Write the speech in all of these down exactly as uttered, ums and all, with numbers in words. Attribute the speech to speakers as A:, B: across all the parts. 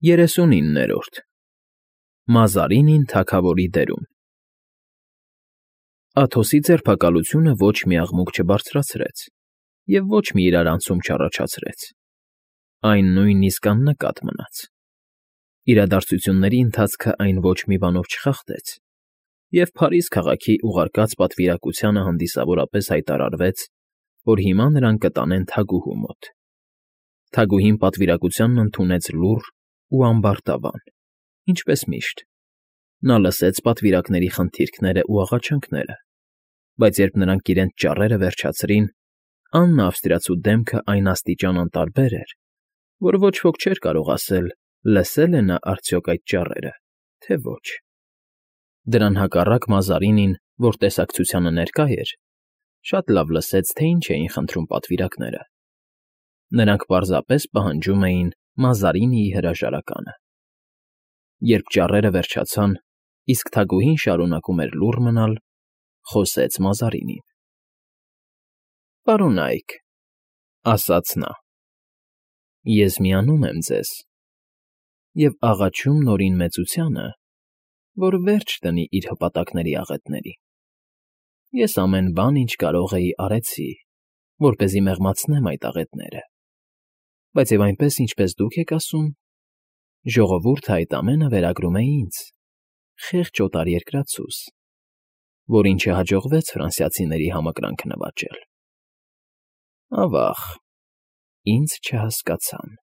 A: Երեսունիններորդ Մազարինին թագավորի դերում Աթոսի ձերբակալությունը ոչ մի աղմուկ չբարձրացրեց և ոչ մի իրարանցում չառաջացրեց. այն նույնիսկ աննկատ մնաց. իրադարձությունների ընթացքը այն ոչ մի բանով չխախտեց, և Փարիզ քաղաքի ուղարկած պատվիրակությանը հանդիսավորապես հայտարարվեց, որ հիմա նրան կտանեն թագուհու մոտ. թագուհին պատվիրակությանն ընդունեց լուռ ու ամբարտավան, ինչպես միշտ. նա լսեց պատվիրակների խնդիրքներն ու աղաչանքները, բայց երբ նրանք իրենց ճառերը վերջացրին, Աննա ավստրիացու դեմքը այն աստիճան անտարբեր էր, որ ոչ ոք չէր կարող ասել՝ լսե՞լ է նա արդյոք այդ ճառերը, թե ոչ. դրան հակառակ Մազարինին, որ տեսակցությանը ներկա էր, շատ լավ լսեց, թե ինչ էին խնդրում պատվիրակները. նրանք պարզապես պահանջում էին Մազարինիի հրաժարականը։ Երբ ճառերը վերջացան, իսկ թագուհին շարունակում էր լուռ մնալ, խոսեց Մազարինին. «Պարոնայք,֊ ասաց նա,֊ ես միանում եմ ձեզ և աղաչում Նորին Մեծությանը, որ վերջ դնի իր հպատակների աղետներին. ես ամեն բան, ինչ կարող էի, արեցի, որպեսզի մեղմացնեմ այդ աղետները, բայց և այնպես, ինչպես դուք եք ասում, ժողովուրդը այդ ամենը վերագրում է ինձ, խեղճ օտարերկրացուս, որին չհաջողվեց ֆրանսիացիների համակրանքը նվաճել։ Ավա՜ղ, ինձ չհասկացան,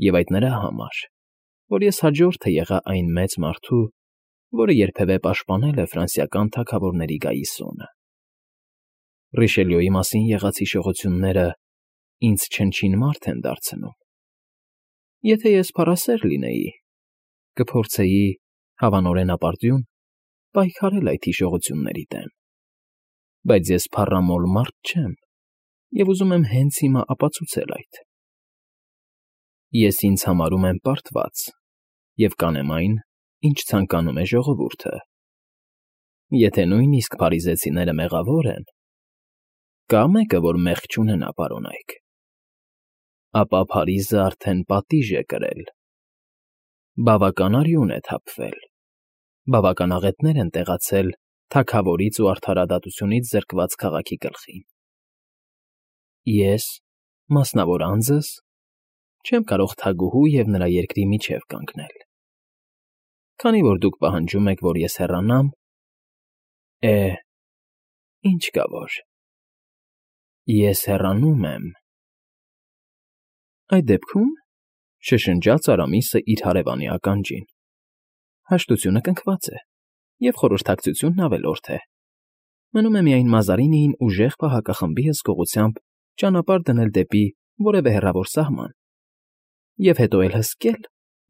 A: և այդ նրա համար, որ ես հաջորդը եղա այն մեծ մարդու, որը երբևէ պաշտպանել է ֆրանսիական թագավորների գայիսոնը։ Ռիշելյուի մասին եղած հիշողությունները ինձ չնչին մարդ են դարձնում։ Եթե ես փառասեր լինեի, կփորձեի, հավանորեն ապարդյուն, պայքարել այդ հիշողությունների դեմ, բայց ես փառամոլ մարդ չեմ և ուզում եմ հենց հիմա ապացուցել այդ։ Ես ինձ համարում եմ պարտված և կանեմ այն, ինչ ցանկանում է ժողովուրդը։ Եթե նույնիսկ փարիզեցիները մեղավոր են, կա՞ մեկը, որ մեղք չունենա, պարոնայք, ապա Փարիզը արդեն պատիժ է կրել, բավական արյուն է թափվել, բավական աղետներ են տեղացել թագավորից ու արդարադատությունից զրկված քաղաքի գլխին։ Ես, մասնավոր անձս, չեմ կարող թագուհու և նրա երկրի միջև կանգնել։ Քանի որ դուք պահանջում եք, որ ես հեռանամ, է, ինչ կա որ, ես հեռանում եմ։ Այդ դեպքում,֊ շշնջաց Արամիսը իր հարևանի ականջին,֊ հաշտությունը կնքված է, և խորհրդակցությունն ավելորդ է. մնում է միայն Մազարինիին ուժեղ պահակախմբի հսկողությամբ ճանապարհ դնել դեպի որևէ հեռավոր սահման, և հետո էլ հսկել,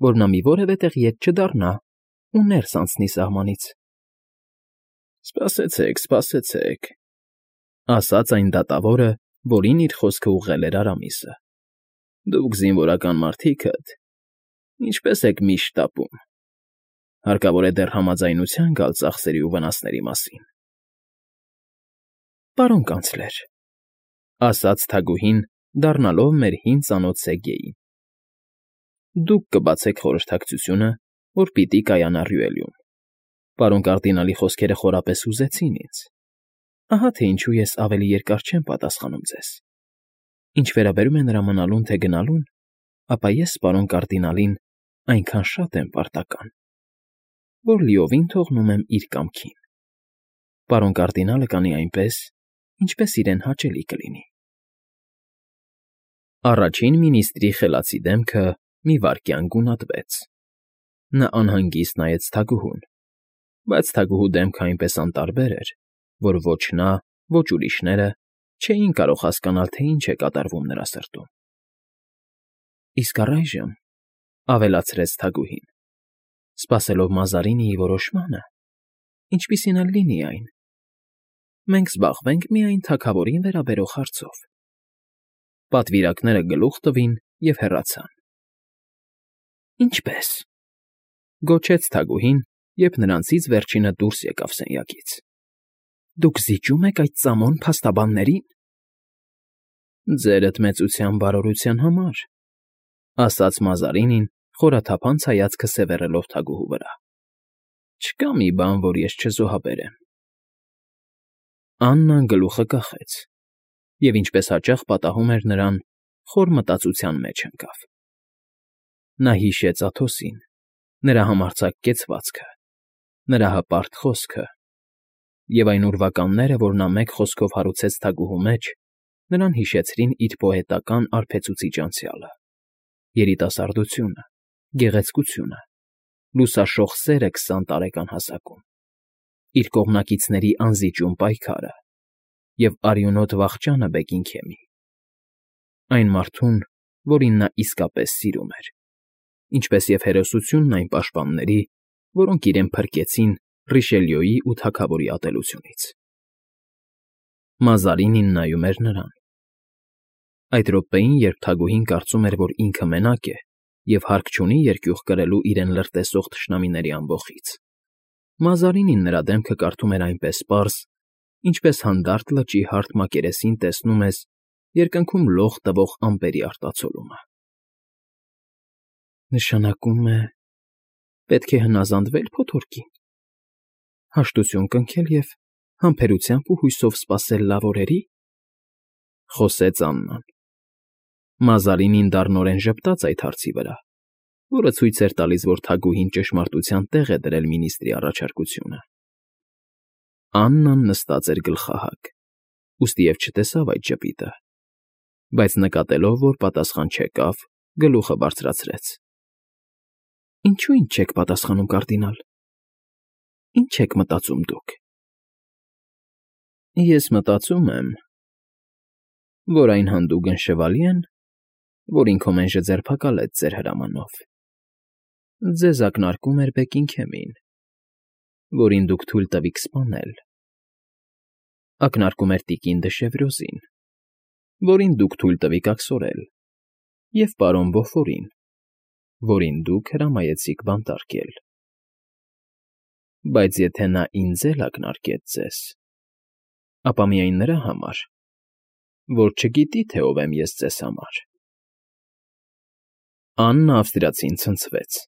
A: որ նա մի որևէ տեղ ետ չդառնա ու ներս անցնի սահմանից։ Սպասեցեք, սպասեցեք,֊ ասաց այն դատավորը, որին իր խոսքը ուղղել էր Արամիսը. դուք զինվորական մարդիկդ ինչպե՞ս եք միշտ տապում. հարկավոր է դեռ համաձայնության գալ ծախսերի ու վնասների մասին։ Պարոն կանցլեր,֊ ասաց թագուհին, դառնալով մեր հին ծանոթ Սեգեյին,֊ դուք կբացեք խորհրդակցությունը, որ պիտի կայանա Ռյուելյում։ Պարոն կարդինալի խոսքերը խորապես հուզեցին ինձ, ահա թե ինչու ես ավելի երկար չեմ պատասխանում ձեզ։ Ինչ վերաբերում է նրա մնալուն թե գնալուն, ապա ես պարոն կարդինալին այնքան շատ եմ պարտական, որ լիովին թողնում եմ իր կամքին։ Պարոն կարդինալը կանի այնպես, ինչպես իրեն հաճելի կլինի։ Առաջին մինիստրի խելացի դեմքը մի վայրկյան գունատվեց. նա անհանգիստ նայեց թագուհուն, բայց թագուհու դեմքը այնպես անտարբեր էր, որ ոչ նա, ոչ ուրիշները չէին կարող հասկանալ, թե ինչ է կատարվում նրա սրտում։ Իսկ առայժմ,֊ ավելացրեց թագուհին, սպասելով Մազարինիի որոշմանը, ինչպիսին էլ լինի այն, մենք զբաղվենք միայն թագավորին վերաբերող հարցով։ Պատվիրակները գլուխ տվին և հեռացան։ Ինչպե՞ս,֊ գոչեց թագուհին, երբ նրանցից վերջինը դուրս եկավ սենյակից,֊ դուք զիջում եք այդ ծամոն փաստաբաններին։ Ձերդ մեծության բարօրության համար,֊ ասաց Մազարինին, խորաթափանց հայացքը սևեռելով թագուհու վրա։ Չկա մի բան, որ ես չզոհաբերեմ։ Աննան գլուխը կախեց, և ինչպես հաճախ պատահում էր նրան, խոր մտածության մեջ ընկավ։ Նա հիշեց Աթոսին, նրա համարձակ կեցվածքը, նրա հպարտ խոսքը, և այն ուրվականները, որ նա մեկ խոսքով հարուցեց թագուհու մեջ, նրան հիշեցրին իր պոետական արբեցուցիչ անցյալը, երիտասարդությունը, գեղեցկությունը, լուսաշող սերը քսան տարեկան հասակում, իր կողմնակիցների անզիջում պայքարը և արյունոտ վախճանը Բեգին֊Քեմի, այն մարդուն, որին նա իսկապես սիրում էր, ինչպես և հերոսությունն այն պաշտպանների, որոնք իրեն փրկեցին Ռիշելյոյի ու թագավորի ատելությունից։ Մազարինին նայում էր նրան։ Այդ րոպեին, երբ թագուհին կարծում էր, որ ինքը մենակ է և հարկ չունի երկյուղ կրելու իրեն լրտեսող թշնամիների ամբոխից, Մազարինին նրա դեմքը կարդում էր այնպես պարզ, ինչպես հանդարտ լճի հարթ մակերեսին տեսնում ես երկնքում լող տվող ամպերի արտացոլումը։ Նշանակում է, պետք է հնազանդվե՞լ փոթորկին, հաշտություն կնքել և համբերությամբ ու հույսով սպասել լավ օրերի, ֊ խոսեց Աննան։ Մազարինին դառնորեն ժպտաց այդ հարցի վրա, որը ցույց էր տալիս, որ թագուհին ճշմարտության տեղ է դրել մինիստրի առաջարկությունը։ Աննան նստած էր գլխահակ, ուստիև չտեսավ այդ ժպիտը, բայց նկատելով, որ պատասխան չեկավ, գլուխը բարձրացրեց։ Ինչո՞ւ ինձ չեք պատասխանում, կարդինալ, ինչ եք մտածում դուք։ Ես մտածում եմ, որ այն հանդուգն շվալի են, որին Քոմենժը ձերբակալեց ձեր հրամանով, ձեզ ակնարկում էր Բեգին֊Քեմին, որին դուք թույլ տվիք սպանել, ակնարկում էր տիկին Դշևրոզին, որին դուք թույլ տվիք աքսորել, և պարոն Բոֆորին, որին դուք հրամայեցիք բանտարկել։ Բայց եթե նա ինձ էլ ակնարկեց ձեզ, ապա միայն նրա համար, որ չգիտի, թե ով եմ ես ձեզ համար։ Աննա ավստրիացին ցնցվեց,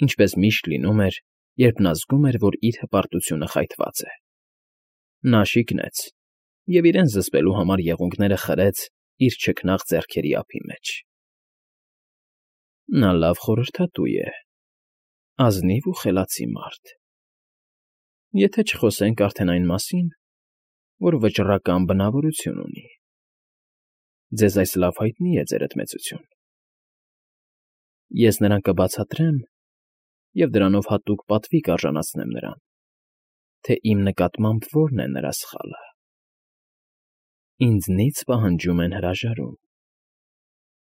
A: ինչպես միշտ լինում էր, երբ նա զգում էր, որ իր հպարտությունը խայթված է։ Նա շիկնեց և իրեն զսպելու համար եղունգները խրեց իր չքնաղ ձեռքերի ափի մեջ։ Նա լավ խորհրդատու է, ազնիվ ու խելացի մարդ, եթե չխոսենք արդեն այն մասին, որ վճռական բնավորություն ունի։ Ձեզ այս լավ հայտնի է, ձերդ մեծություն։ Ես նրան կբացատրեմ և դրանով հատուկ պատվի կարժանացնեմ նրան, թե իմ նկատմամբ որն է նրա սխալը։ Ինձնից պահանջում են հրաժարում,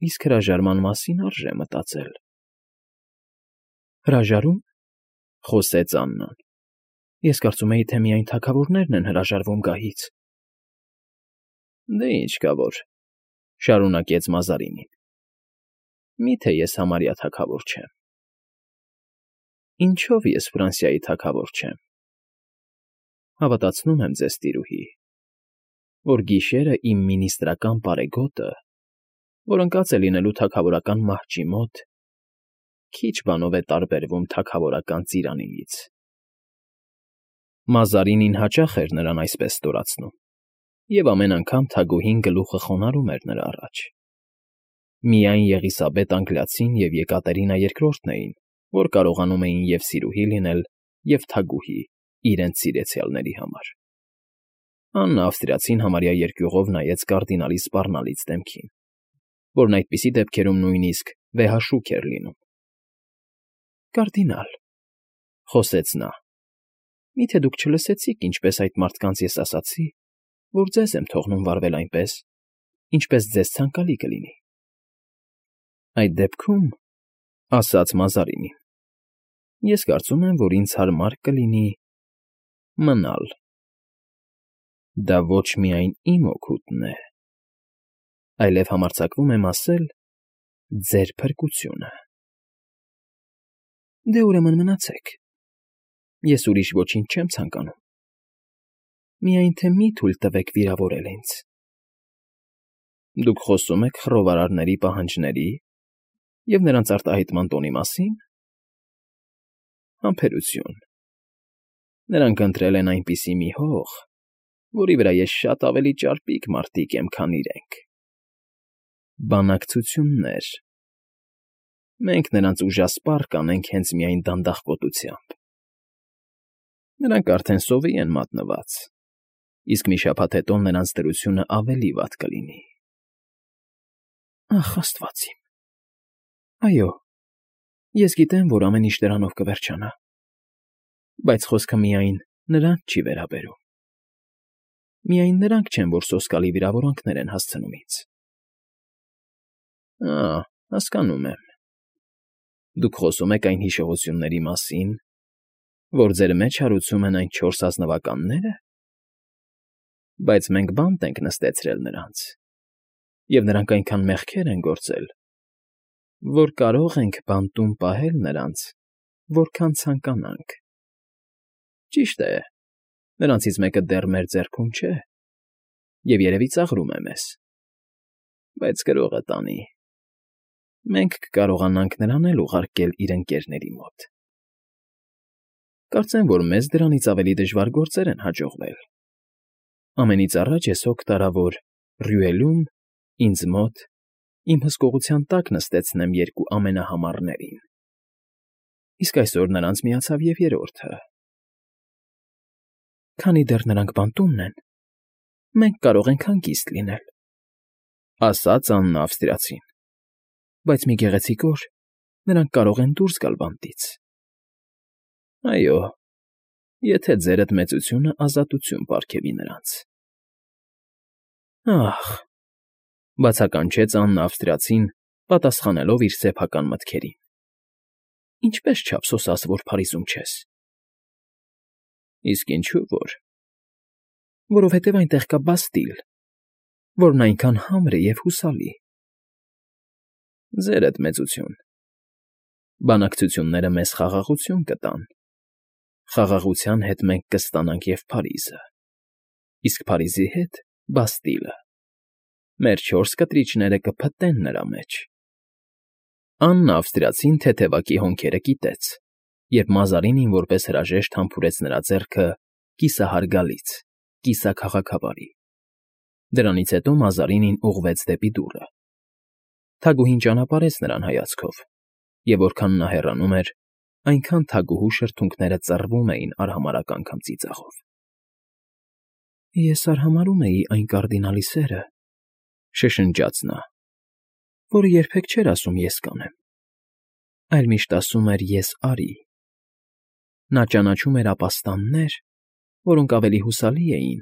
A: իսկ հրաժարման մասին արժե մտածել։ Հրաժարում, ֊ խոսեց Աննան, ֊ ես կարծում էի, թե միայն թագավորներն են հրաժարվում գահից։ Դե ինչ կա որ, ֊ շարունակեց Մազարինին, միթե ես համարյա թագավոր չեմ։ Ինչո՞վ ես Ֆրանսիայի թագավոր չեմ։ Հավատացնում եմ ձեզ, տիրուհի, որ գիշերը իմ մինիստրական պարեգոտը, որ ընկած է լինելու թագավորական մահճի մոտ, քիչ բանով է տարբերվում թագավորական ծիրանիից։ Մազարինին հաճախ էր նրան այսպես ստորացնում, և ամեն անգամ թագուհին գլուխը խոնարհում էր նրա առաջ։ Միայն Եղիսաբեթ Անգլիացին և Եկատերինա Երկրորդն էին, որ կարողանում էին և՛ սիրուհի լինել, և՛ թագուհի իրենց սիրեցյալների համար։ Աննա ավստրիացին համարյա երկյուղով նայեց կարդինալի սպառնալից դեմքին, որն այդպիսի դեպքերում նույնիսկ վեհաշուք էր լինում։ Կարդինալ, ֊ խոսեց նա, ֊ միթե դուք չլսեցիք, ինչպես այդ մարդկանց ես ասացի, որ ձեզ եմ թողնում վարվել այնպես, ինչպես ձեզ ցանկալի կլինի։ Այդ դեպքում, ֊ ասաց Մազարինին, ֊ ես կարծում եմ, որ ինձ հարմար կլինի մնալ։ Դա ոչ միայն իմ օգուտն է, այլև համարձակվում եմ ասել ձեր փրկությունը։ Դե ուրեմն մնացեք, ես ուրիշ ոչինչ չեմ ցանկանում, միայն թե մի թույլ տվեք վիրավորել ինձ։ Դուք խոսում եք խռովարարների պահանջների, Եվ նրանց արտահայտման տոնի մասին… Համբերություն… Նրանք ընտրել են այնպիսի մի հող, որի վրա ես շատ ավելի ճարպիկ մարտիկ եմ, քան իրենք… Բանակցություններ… Մենք նրանց ուժասպառ կանենք հենց միայն դանդաղկոտությամբ… Նրանք արդեն սովի են մատնված, իսկ մի շաբաթ հետո նրանց դրությունն ավելի վատ կլինի… Ախ, աստված իմ… Այո, ես գիտեմ, որ ամեն ինչ դրանով կվերջանա, բայց խոսքը միայն նրանց չի վերաբերում… Միայն նրանք չեն, որ սոսկալի վիրավորանքներ են հասցնում ինձ… Ա՜, հասկանում եմ… Դուք խոսում եք այն հիշողությունների մասին, որ ձեր մեջ հարուցում են այն չորս ազնվականնե՞րը… Բայց մենք բանտ ենք նստեցրել նրանց, և նրանք այնքան մեղքեր են գործել, որ կարող ենք բանտում պահել նրանց, որքան ցանկանանք… Ճիշտ է, նրանցից մեկը դեռ մեր ձեռքում չէ և երևի ծաղրում է մեզ, բայց գրողը տանի… Մենք կկարողանանք նրան էլ ուղարկել իր ընկերների մոտ… Կարծեմ, որ մեզ դրանից ավելի դժվար գործեր են հաջողվել… Ամենից առաջ ես հոգ տարա, որ Ռյուելում, ինձ մոտ, իմ հսկողության տակ նստեցնեմ երկու ամենահամառներին… Իսկ այսօր նրանց միացավ և երրորդը… Քանի դեռ նրանք բանտումն են, մենք կարող ենք հանգիստ լինել, ֊ ասաց Աննա ավստրիացին, ֊ բայց մի գեղեցիկ օր նրանք կարող են դուրս գալ բանտից… Այո, եթե ձերդ մեծությունը ազատություն պարգևի նրանց… Ա՜խ, ֊ բացականչեց Աննա ավստրիացին, պատասխանելով իր սեփական մտքերին, ֊ ինչպե՞ս չափ սոսաս, որ Փարիզում չես… Իսկ ինչու որ… Որովհետև այնտեղ կա Բաստիլ, որն այնքան համր է և հուսալի… Ձերդ մեծություն… Բանակցությունները մեզ խաղաղություն կտան, խաղաղության հետ մենք կստանանք և Փարիզը, իսկ Փարիզի հետ՝ Բաստիլը… Մեր չորս կտրիչները կփտտեն նրա մեջ… Աննա ավստրիացին թեթևակի հոնքերը կիտեց, երբ Մազարինին որպես հրաժեշտ համբուրեց նրա ձեռքը կիսահարգալից, կիսաքաղաքավարի… Դրանից հետո Մազարինին ուղղվեց դեպի դուռը… Թագուհին ճանապարհեց նրան հայացքով, և որքան նա հեռանում էր, այնքան թագուհու շրթունքները ծռվում էին արհամարհական քմծիծաղով… Ես արհամարհում էի այն կարդինալի սերը, ֊ շշնջաց նա, ֊ որը երբեք չէր ասում ես կանեմ, այլ միշտ ասում էր ես արի… Նա ճանաչում էր ապաստաններ, որոնք ավելի հուսալի էին,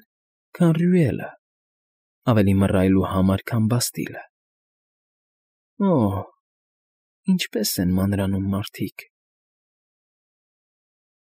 A: քան Ռյուելը, ավելի մռայլ ու համր, քան Բաստիլը… Օ՜, ինչպե՜ս են մանրանում մարդիկ…